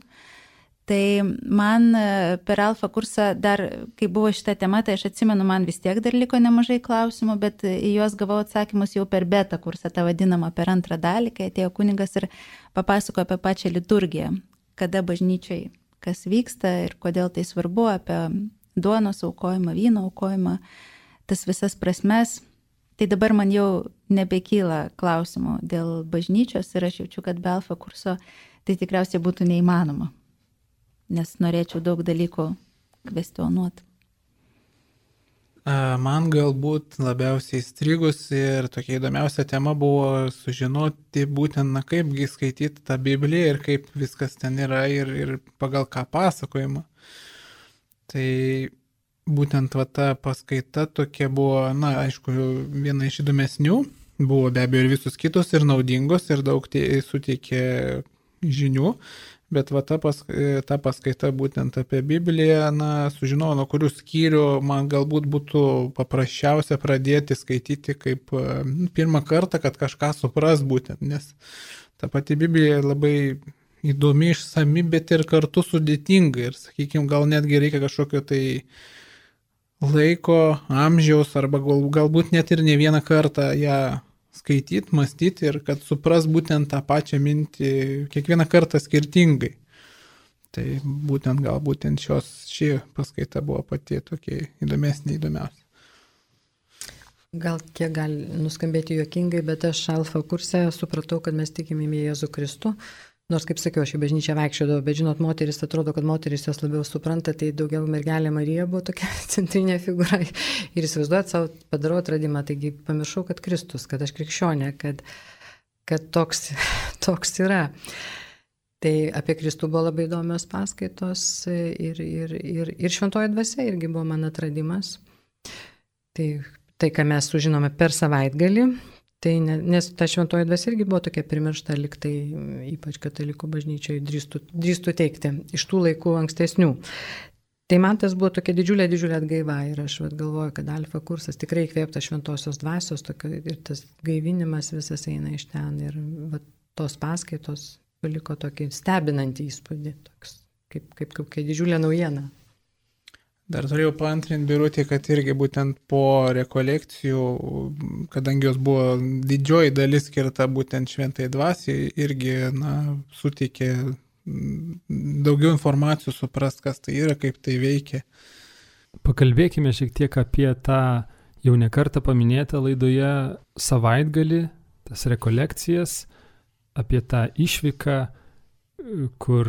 Tai man per alfa kursą dar, kai buvo šita tema, tai aš atsimenu, man vis tiek dar liko nemažai klausimų, bet į juos gavau atsakymus jau per beta kursą, tą vadinamą per antrą dalį, kai atėjo kunigas ir papasakojo apie pačią liturgiją, kada bažnyčiai kas vyksta ir kodėl tai svarbu, apie duonos aukojimą, vyno aukojimą, tas visas prasmes. Tai dabar man jau nebekyla klausimų dėl bažnyčios ir aš jaučiu, kad be alfa kurso tai tikriausiai būtų neįmanoma. Nes norėčiau daug dalykų kvestionuoti. Man galbūt labiausiai įstrigus ir tokia įdomiausia tema buvo sužinoti būtent, kaipgi skaityti tą Bibliją ir kaip viskas ten yra ir pagal ką pasakojama. Tai būtent ta paskaita tokia buvo, aišku, viena iš įdomesnių, buvo be abejo ir visus kitos ir naudingos ir daug suteikė žinių. Bet ta paskaita būtent apie Bibliją, sužinojau, nuo kurių skyrių man galbūt būtų paprasčiausia pradėti skaityti kaip pirmą kartą, kad kažką supras būtent, nes ta pati Biblija labai įdomi, išsami, bet ir kartu sudėtinga ir, sakykime, gal netgi reikia kažkokio tai laiko, amžiaus arba galbūt net ir ne vieną kartą ją skaityti, mąstyti ir kad supras būtent tą pačią mintį kiekvieną kartą skirtingai. Tai būtent ši paskaita buvo pati tokia įdomesnė. Gal kiek gali nuskambėti juokingai, bet aš alfa kurse supratau, kad mes tikime į Jėzų Kristų. Nors, kaip sakiau, aš į bažnyčią vaikščiodavau, bet žinot, moteris, atrodo, kad moteris jos labiau supranta, tai daugiau mergelė Marija buvo tokia centrinė figūra. Ir įsivaizduojat, savo padarau atradimą, taigi pamiršau, kad Kristus, kad aš krikščionė, kad toks yra. Tai apie Kristų buvo labai įdomios paskaitos ir šventoji dvasia irgi buvo man atradimas. Tai, ką mes sužinome per savaitgalį, tai nes ta šventoji dvasia irgi buvo tokia primiršta, liktai ypač katalikų bažnyčioje drįstų teikti iš tų laikų ankstesnių. Tai man tas buvo tokia didžiulė atgaiva ir aš galvoju, kad alfa kursas tikrai įkvėptas šventosios dvasios ir tas gaivinimas visas eina iš ten ir tos paskaitos paliko tokį stebinantį įspūdį, toks, kaip didžiulė naujiena. Dar turėjau paantrinti Birutį, kad irgi būtent po rekolekcijų, kadangi jos buvo didžioji dalis skirta būtent šventai dvasiai, irgi suteikė daugiau informacijų suprast, kas tai yra, kaip tai veikia. Pakalbėkime šiek tiek apie tą jau ne kartą paminėtą laidoje savaitgalį tas rekolekcijas, apie tą išvyką, kur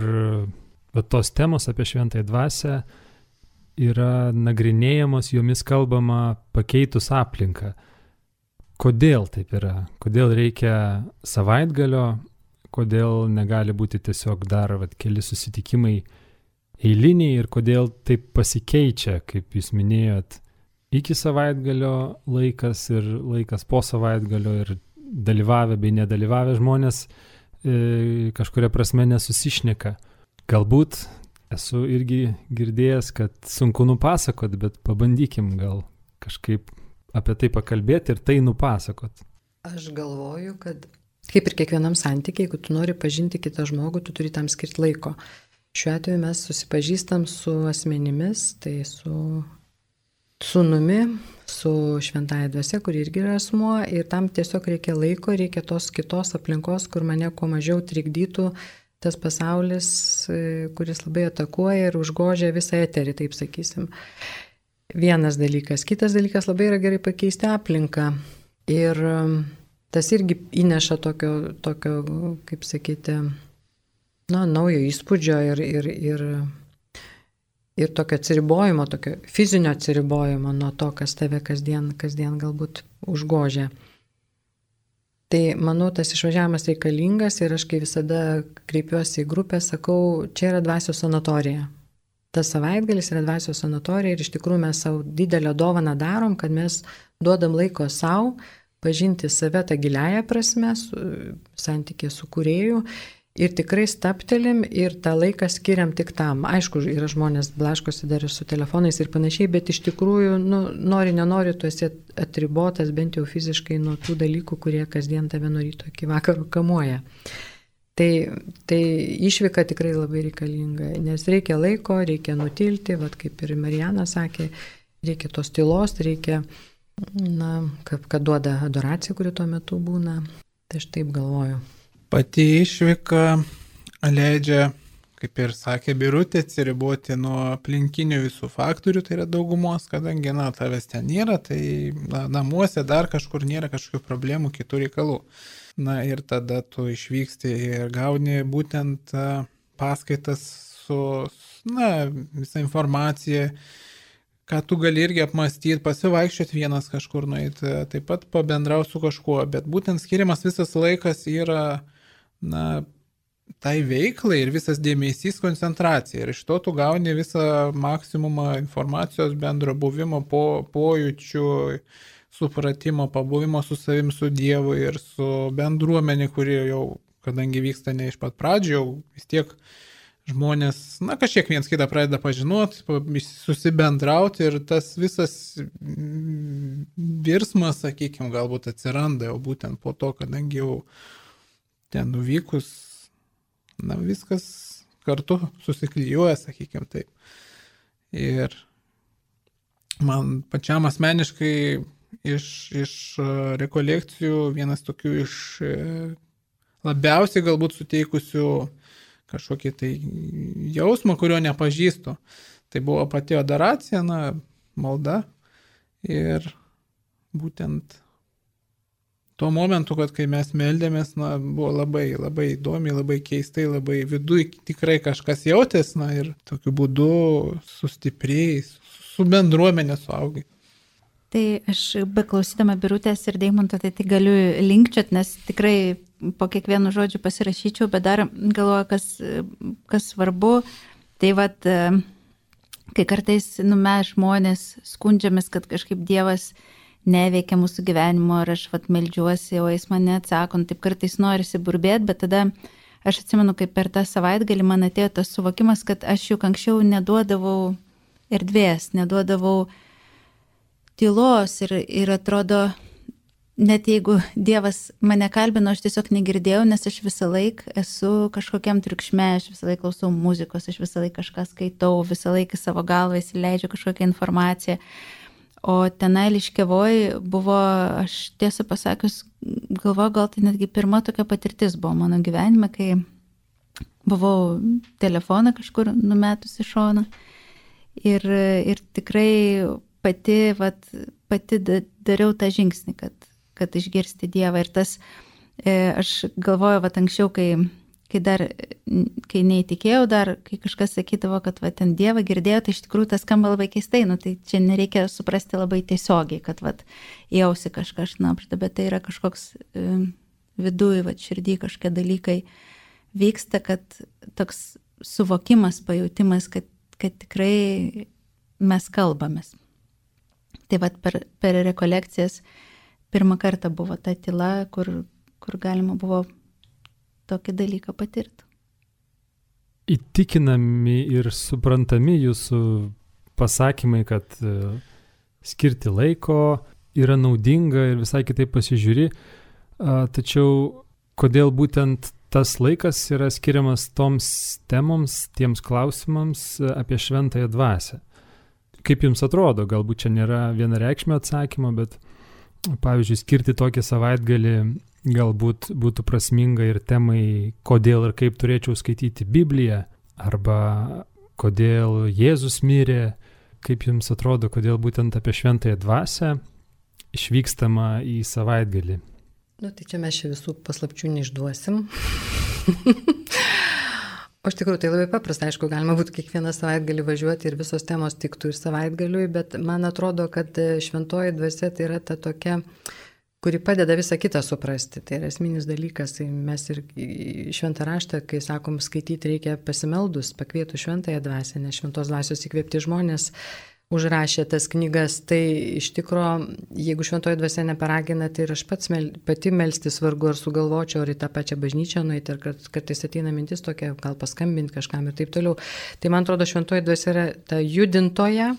tos temos apie šventąją dvasią yra nagrinėjamos, jomis kalbama pakeitus aplinką. Kodėl taip yra? Kodėl reikia savaitgalio? Kodėl negali būti tiesiog dar keli susitikimai eiliniai ir kodėl taip pasikeičia, kaip jūs minėjot, iki savaitgalio laikas ir laikas po savaitgalio ir dalyvavę bei nedalyvavę žmonės kažkuria prasme nesusišneka. Galbūt esu irgi girdėjęs, kad sunku nupasakot, bet pabandykim gal kažkaip apie tai pakalbėti ir tai nupasakot. Aš galvoju, kad kaip ir kiekvienam santykiai, jeigu tu nori pažinti kitą žmogų, tu turi tam skirti laiko. Šiuo atveju mes susipažįstam su asmenimis, tai su sūnumi, su šventąja dvasia, kuri irgi yra asmuo, ir tam tiesiog reikia laiko, reikia tos kitos aplinkos, kur mane kuo mažiau trikdytų tas pasaulis, kuris labai atakuoja ir užgožia visą eterį, taip sakysim. Vienas dalykas. Kitas dalykas, labai yra gerai pakeisti aplinką. Ir tas irgi įneša tokio kaip sakyti, naujo įspūdžio ir tokio atsiribojimo, tokio fizinio atsiribojimo nuo to, kas tave kasdien galbūt užgožia. Tai manau, tas išvažiavimas reikalingas ir aš kai visada kreipiuosi į grupę, sakau, čia yra dvasios sanatorija. Tas savaitgalis yra dvasios sanatorija ir iš tikrųjų mes savo didelę dovaną darom, kad mes duodam laiko savo pažinti save tą giliąją prasme, santykį su kūrėju ir tikrai staptelim ir tą laiką skiriam tik tam. Aišku, yra žmonės blaškosi dar ir su telefonais ir panašiai, bet iš tikrųjų, nori, nenori, tu esi atribotas bent jau fiziškai nuo tų dalykų, kurie kasdien tave nuo ryto iki vakaro kamuoja. Tai išvyka tikrai labai reikalinga, nes reikia laiko, reikia nutilti, kaip ir Marijana sakė, reikia tos tylos, reikia, kad duoda adoracija, kuri tuo metu būna. Tai aš taip galvoju. Pati išvyka leidžia, kaip ir sakė Birutė, atsiriboti nuo aplinkinių visų faktorių, tai yra daugumos, kadangi, tavęs ten nėra, tai namuose dar kažkur nėra kažkokių problemų, kitų reikalų. Ir tada tu išvyksti ir gauni būtent paskaitas su, visą informaciją, ką tu gali irgi apmastyti, pasivaikščioti vienas kažkur nueiti, taip pat pabendrauti su kažkuo, bet būtent skiriamas visas laikas yra tai veiklai ir visas dėmesys koncentracija. Ir iš to tu gauni visą maksimumą informacijos, bendro buvimo, pojūčių, supratimo, pabuvimo su savim, su Dievu ir su bendruomenė, kuri jau, kadangi vyksta ne iš pat pradžių, jau vis tiek žmonės, kažkiek viens kitą pradeda pažinoti, susibendrauti ir tas visas virsmas, sakykime, galbūt atsiranda jau būtent po to, kadangi jau ten nuvykus, viskas kartu susiklijuoja, sakykime taip. Ir man pačiam asmeniškai iš rekolekcijų vienas tokių iš labiausiai galbūt suteikusių kažkokį tai jausmą, kurio nepažįstu. Tai buvo pati adoracija, malda ir būtent tuo momentu, kad kai mes meldėmės, buvo labai, labai įdomi, labai keistai, labai viduj tikrai kažkas jautės, ir tokiu būdu sustiprėjai, su bendruomenė suaugai. Tai aš beklausydama Birutės ir Deimanto, tai galiu linkčiot, nes tikrai po kiekvienu žodžiu pasirašyčiau, bet dar galvoju, kas svarbu, tai kai kartais mes žmonės skundžiamės, kad kažkaip Dievas neveikia mūsų gyvenimo ir aš meldžiuosi, o jis man neatsako, taip kartais norisi burbėti, bet tada aš atsimenu, kaip per tą savaitgalį man atėjo tas suvokimas, kad aš juk anksčiau neduodavau erdvės, neduodavau tylos ir atrodo, net jeigu Dievas mane kalbino, aš tiesiog negirdėjau, nes aš visą laiką esu kažkokiam triukšme, aš visą laiką klausau muzikos, aš visą laiką kažką skaitau, visą laiką savo galvą įsileidžiu kažkokią informaciją. O tenai Liškiavoj buvo, aš tiesą pasakius, galvoju, gal tai netgi pirma tokia patirtis buvo mano gyvenime, kai buvau telefoną kažkur numetus į šoną ir tikrai pati dariau tą žingsnį, kad išgirsti Dievą. Ir tas Aš galvoju, va, anksčiau, kai neįtikėjau dar, kai kažkas sakydavo, kad va, ten Dievą girdėjo, tai iš tikrųjų tas skamba labai keistai, tai čia nereikia suprasti labai tiesiogiai, kad va, jausi kažkas šnapžda, bet tai yra kažkoks viduje, va, širdį kažkokie dalykai vyksta, kad toks suvokimas, pajūtimas, kad tikrai mes kalbamės. Tai va, per rekolekcijas pirmą kartą buvo ta tyla, kur galima buvo tokį dalyką patirti. Įtikinami ir suprantami jūsų pasakymai, kad skirti laiko yra naudinga ir visai kitaip pasižiūri, tačiau kodėl būtent tas laikas yra skiriamas toms temoms, tiems klausimams apie šventąją dvasią? Kaip jums atrodo, galbūt čia nėra vienareikšmio atsakymo, bet pavyzdžiui, skirti tokį savaitgalį galbūt būtų prasminga ir temai, kodėl ir kaip turėčiau skaityti Bibliją, arba kodėl Jėzus mirė. Kaip jums atrodo, kodėl būtent apie šventąją dvasią išvykstama į savaitgalį? Tai čia mes visų paslapčių neišduosim. O iš tikrųjų tai labai paprasta, aišku, galima būtų kiekvieną savaitgalį važiuoti ir visos temos tiktų ir savaitgaliui, bet man atrodo, kad šventoji dvasia tai yra ta tokia, kuri padeda visą kitą suprasti. Tai yra esminis dalykas. Tai mes ir šventą raštą, kai sakom skaityti, reikia pasimeldus, pakvietų šventąją dvasią, nes šventos dvasios įkvėpti žmonės užrašė tas knygas. Tai iš tikrųjų, jeigu šventoji dvasia neparagina, tai ir aš pati melstis vargu ar sugalvočiau, ar į tą pačią bažnyčią nueiti, ir kartais ateina mintis tokia, gal paskambinti kažkam ir taip toliau. Tai man atrodo, šventoji dvasia yra ta judintoja.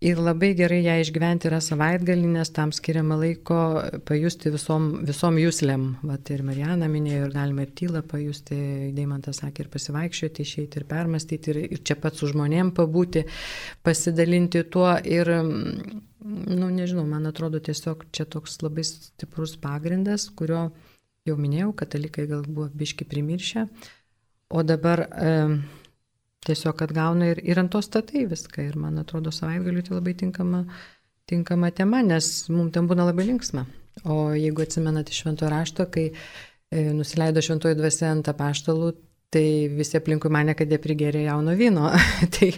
Ir labai gerai ją išgyventi yra savaitgalį, nes tam skiriama laiko pajusti visom juslėm. Vat ir Marijana minėjo, ir galima ir tylą pajusti, Deimantas sakė, ir pasivaikščioti, išeiti ir permastyti, ir čia pat su žmonėm pabūti, pasidalinti tuo. Ir, nežinau, man atrodo tiesiog čia toks labai stiprus pagrindas, kurio jau minėjau, katalikai gal buvo biški primiršę, o dabar tiesiog atgauna ir ant to statai viską. Ir man atrodo, savaitgaliui tai labai tinkama tema, nes mums ten būna labai linksma. O jeigu atsimenate švento rašto, kai nusileido šventoji dvasia ant apaštalų, tai visi aplinkui mane, kad jie prigėrė jauno vyno. Tai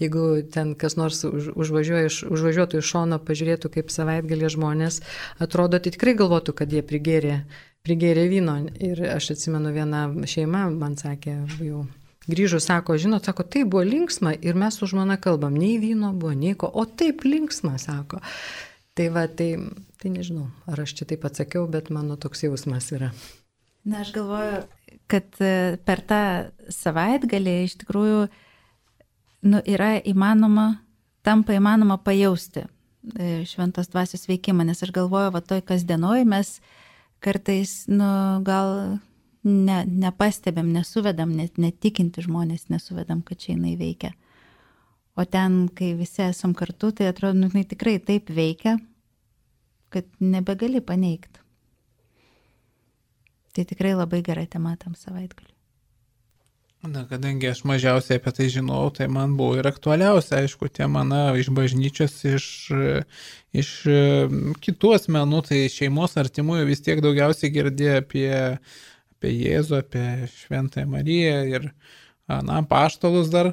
jeigu ten kas nors užvažiuotų iš šono, pažiūrėtų, kaip savaitgalį žmonės atrodo, tai tikrai galvotų, kad jie prigėrė vyno. Ir aš atsimenu, viena šeima man sakė, jau grįžus, sako, tai buvo linksma ir mes su žmona kalbam, nei vyno buvo, nei ko, o taip linksma, sako. Tai va, tai nežinau, ar aš čia taip atsakiau, bet mano toks jausmas yra. Aš galvoju, kad per tą savaitgalį iš tikrųjų tampa įmanoma pajausti šventos dvasios veikimą, nes aš galvoju, va toj kasdienoj mes kartais, gal nepastebėm, nesuvedam, netikinti žmonės nesuvedam, kad čia jinai veikia. O ten, kai visi esam kartu, tai atrodo, jinai tikrai taip veikia, kad nebegali paneigti. Tai tikrai labai gera tema tam savaitgaliui. Kadangi aš mažiausiai apie tai žinau, tai man buvo ir aktualiausia, aišku, tema iš bažnyčios, iš kitų asmenų, tai šeimos artimųjų vis tiek daugiausiai girdėjo apie Jėzų, apie Šventąją Mariją ir apaštalus dar,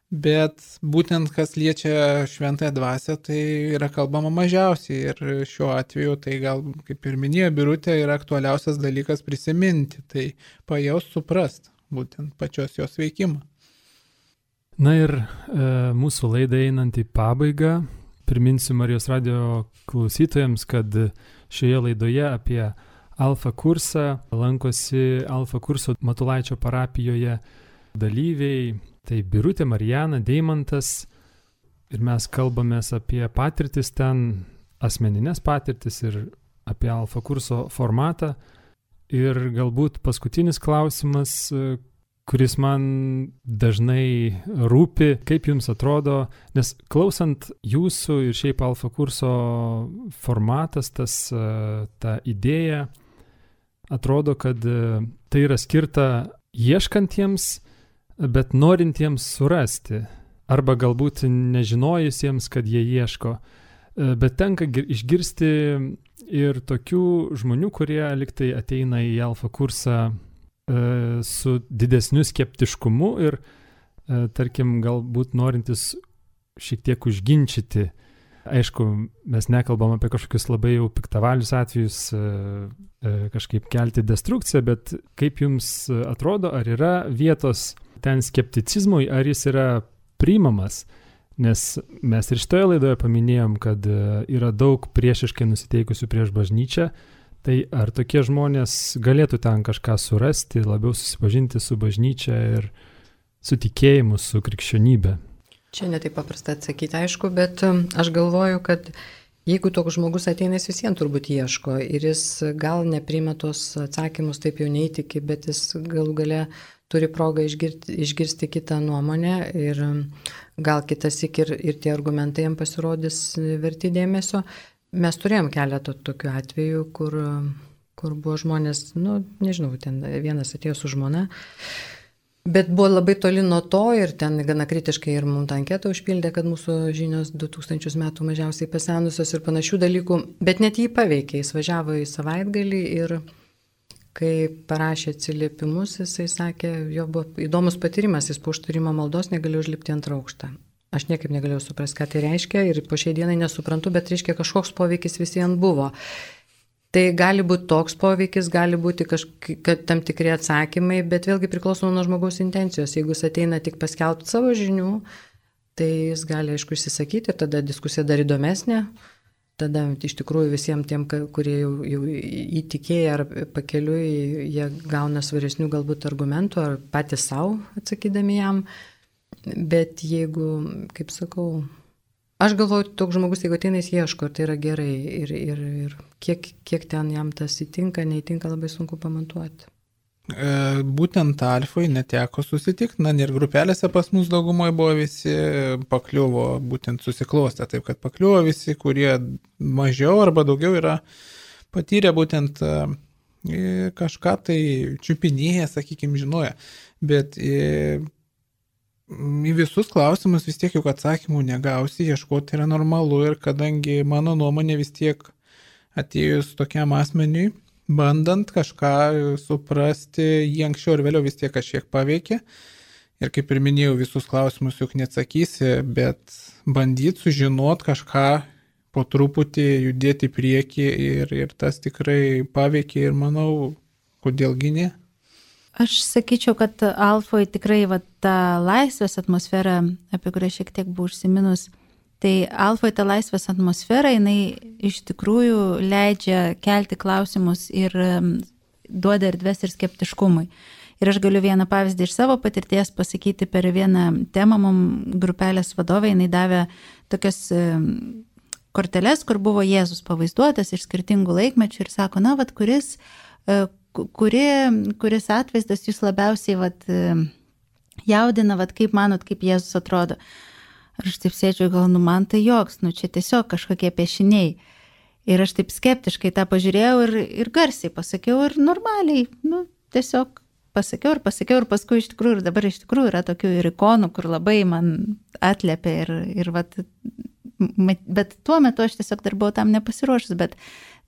bet būtent kas liečia Šventąją dvasią, tai yra kalbama mažiausiai. Ir šiuo atveju tai gal, kaip ir minėjo Birutė, yra aktualiausias dalykas prisiminti, tai pajaust, suprast būtent pačios jos veikimą. Na ir mūsų laidai einant į pabaigą, priminsiu Marijos radio klausytojams, kad šioje laidoje apie Alfa kursą lankosi Alfa kurso Matulaičio parapijoje dalyviai, tai Birutė, Marijana, Deimantas, ir mes kalbamės apie patirtis ten, asmeninės patirtis ir apie Alfa kurso formatą. Ir galbūt paskutinis klausimas, kuris man dažnai rūpi, kaip jums atrodo, nes klausant jūsų ir šiaip Alfa kurso formatas, ta idėja, atrodo, kad tai yra skirta ieškantiems, bet norintiems surasti, arba galbūt nežinojusiems, kad jie ieško. bet tenka išgirsti ir tokių žmonių, kurie liktai ateina į alfa kursą su didesniu skeptiškumu ir, tarkim, galbūt norintis šiek tiek užginčyti. Aišku, mes nekalbam apie kažkokius labai jau piktavalius atvejus, kažkaip kelti destrukciją, bet kaip jums atrodo, ar yra vietos ten skepticizmui, ar jis yra priimamas? Nes mes ir šitoje laidoje paminėjom, kad yra daug priešiškai nusiteikusių prieš bažnyčią, tai ar tokie žmonės galėtų ten kažką surasti, labiau susipažinti su bažnyčia ir su tikėjimu, su krikščionybė? Čia netaip paprasta atsakyti, aišku, bet aš galvoju, kad jeigu toks žmogus ateina, jis visiems turbūt ieško ir jis gal nepriima tos atsakymus, taip jau neįtiki, bet jis galų gale turi progą išgirsti kitą nuomonę ir gal kitas ir tie argumentai jam pasirodys verti dėmesio. Mes turėjom keletą tokių atvejų, kur buvo žmonės, nežinau, ten vienas atėjo su žmona, bet buvo labai toli nuo to ir ten gana kritiškai ir mums tą anketą užpildė, kad mūsų žinios 2000 metų mažiausiai pasenusios ir panašių dalykų, bet net jį paveikė, jis važiavo į savaitgalį ir kai parašė atsiliepimus, jisai sakė, jo buvo įdomus patyrimas, jis po užtarimo maldos negalėjo užlipti ant aukštą. Aš niekaip negalėjau suprasti, ką tai reiškia ir po šiai dienai nesuprantu, bet reiškia kažkoks poveikis visiems buvo. Tai gali būti toks poveikis, gali būti tam tikri atsakymai, bet vėlgi priklauso nuo žmogaus intencijos. Jeigu jis ateina tik paskelbti savo žinių, tai jis gali, aišku, išsisakyti ir tada diskusija dar įdomesnė. Tada iš tikrųjų visiems tiem, kurie jau įtikėję ar pakeliui, jie gauna svaresnių galbūt argumentų ar patys savo atsakydami jam. Bet jeigu, kaip sakau, aš galvoju, toks žmogus, jeigu ateina, jis ieško, tai yra gerai ir kiek ten jam tas įtinka, neįtinka, labai sunku pamatuoti. Būtent alfai neteko susitikti, ir grupelėse pas mus daugumoje buvo visi pakliuvo, būtent susiklostę, taip kad pakliuvo visi, kurie mažiau arba daugiau yra patyrę būtent kažką tai čiupinėję, sakykime, žinoja, bet į visus klausimus vis tiek juk atsakymų negausi, ieškoti yra normalu ir kadangi mano nuomonė vis tiek atėjus tokiam asmeniui, bandant kažką suprasti, jį anksčiau ir vėliau vis tiek kažkiek paveikia. Ir kaip ir minėjau, visus klausimus juk neatsakysi, bet bandyti sužinot kažką, po truputį judėti į priekį ir tas tikrai paveikia ir manau, kodėlgi ne. Aš sakyčiau, kad alfoje tikrai ta laisvės atmosfera, apie kurią šiek tiek buvau užsiminus, tai alfoje ta laisvės atmosfera, jinai iš tikrųjų leidžia kelti klausimus ir duoda erdvės ir skeptiškumui. Ir aš galiu vieną pavyzdį iš savo patirties pasakyti. Per vieną temą mums grupelės vadovai, jinai davė tokias korteles, kur buvo Jėzus pavaizduotas iš skirtingų laikmečių ir sako, kuris atvaizdas jūs labiausiai jaudina, kaip manot, kaip Jėzus atrodo. Ir aš taip sėdžiu, gal, man tai joks, čia tiesiog kažkokie piešiniai. Ir aš taip skeptiškai tą pažiūrėjau ir garsiai pasakiau ir normaliai, tiesiog pasakiau ir paskui iš tikrųjų, ir dabar iš tikrųjų yra tokių ir ikonų, kur labai man atliepia bet tuo metu aš tiesiog dar buvau tam nepasiruošus, bet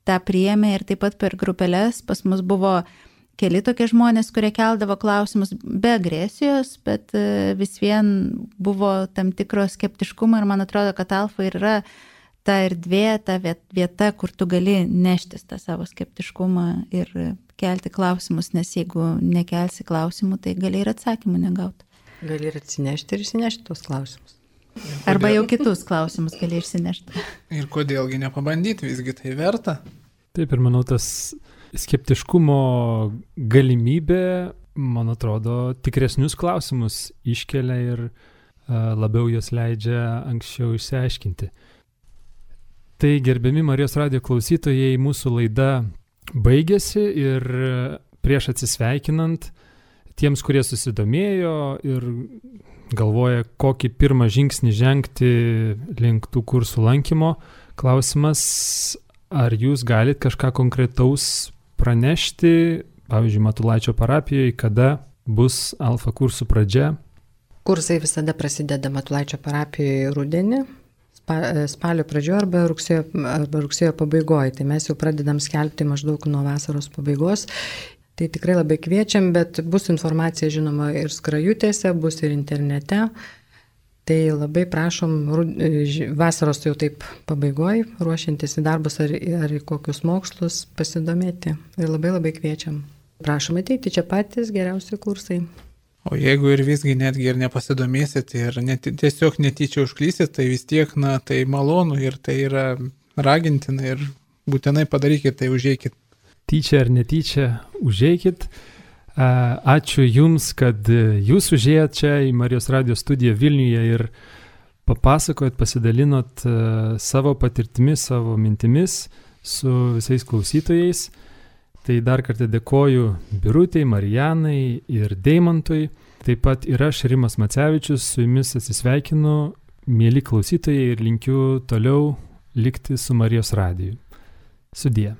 tą priėmė ir taip pat per grupelės pas mus buvo keli tokie žmonės, kurie keldavo klausimus be agresijos, bet vis vien buvo tam tikro skeptiškumo ir man atrodo, kad alfa yra ta erdvė, ta vieta, kur tu gali neštis tą savo skeptiškumą ir kelti klausimus, nes jeigu nekelsi klausimų, tai gali ir atsakymų negauti. Gali ir atsinešti ir išsinešti tos klausimus. Arba jau kitus klausimus gali išsinešti. Ir kodėlgi nepabandyti, visgi tai verta. Taip, ir manau, tas skeptiškumo galimybė, man atrodo, tikresnius klausimus iškelia ir labiau jos leidžia anksčiau išsiaiškinti. Tai, gerbiami Marijos radijo klausytojai, mūsų laida baigėsi ir prieš atsisveikinant tiems, kurie susidomėjo ir galvoja, kokį pirmą žingsnį žengti link tų kursų lankymo, klausimas, ar jūs galit kažką konkretaus pranešti, pavyzdžiui, Matulaičio parapijoje, kada bus alfa kursų pradžia? Kursai visada prasideda Matulaičio parapijoje rudenį, spalio pradžioje arba rugsėjo pabaigoje. Tai mes jau pradedam skelbti maždaug nuo vasaros pabaigos. Tai tikrai labai kviečiam, bet bus informacija žinoma ir skrajutėse, bus ir internete. Tai labai prašom vasaros jau taip pabaigoj, ruošiantis į darbus ar į kokius mokslus pasidomėti. Ir labai kviečiam. Prašom ateiti, čia patys geriausi kursai. O jeigu ir visgi netgi ir nepasidomėsit ir tiesiog netyčia užklysit, tai vis tiek, tai malonu ir tai yra ragintina ir būtinai padarykit, tai užeikit. Tyčia ar netyčia, užeikit. Ačiū Jums, kad Jūs užėjot čia į Marijos radijo studiją Vilniuje ir papasakojot, pasidalinot savo patirtimis, savo mintimis su visais klausytojais. Tai dar kartą dėkoju Birutei, Marijanai ir Deimantui. Taip pat ir aš, Rimas Macevičius, su Jumis atsisveikinu, mieli klausytojai, ir linkiu toliau likti su Marijos radiju. Sudie.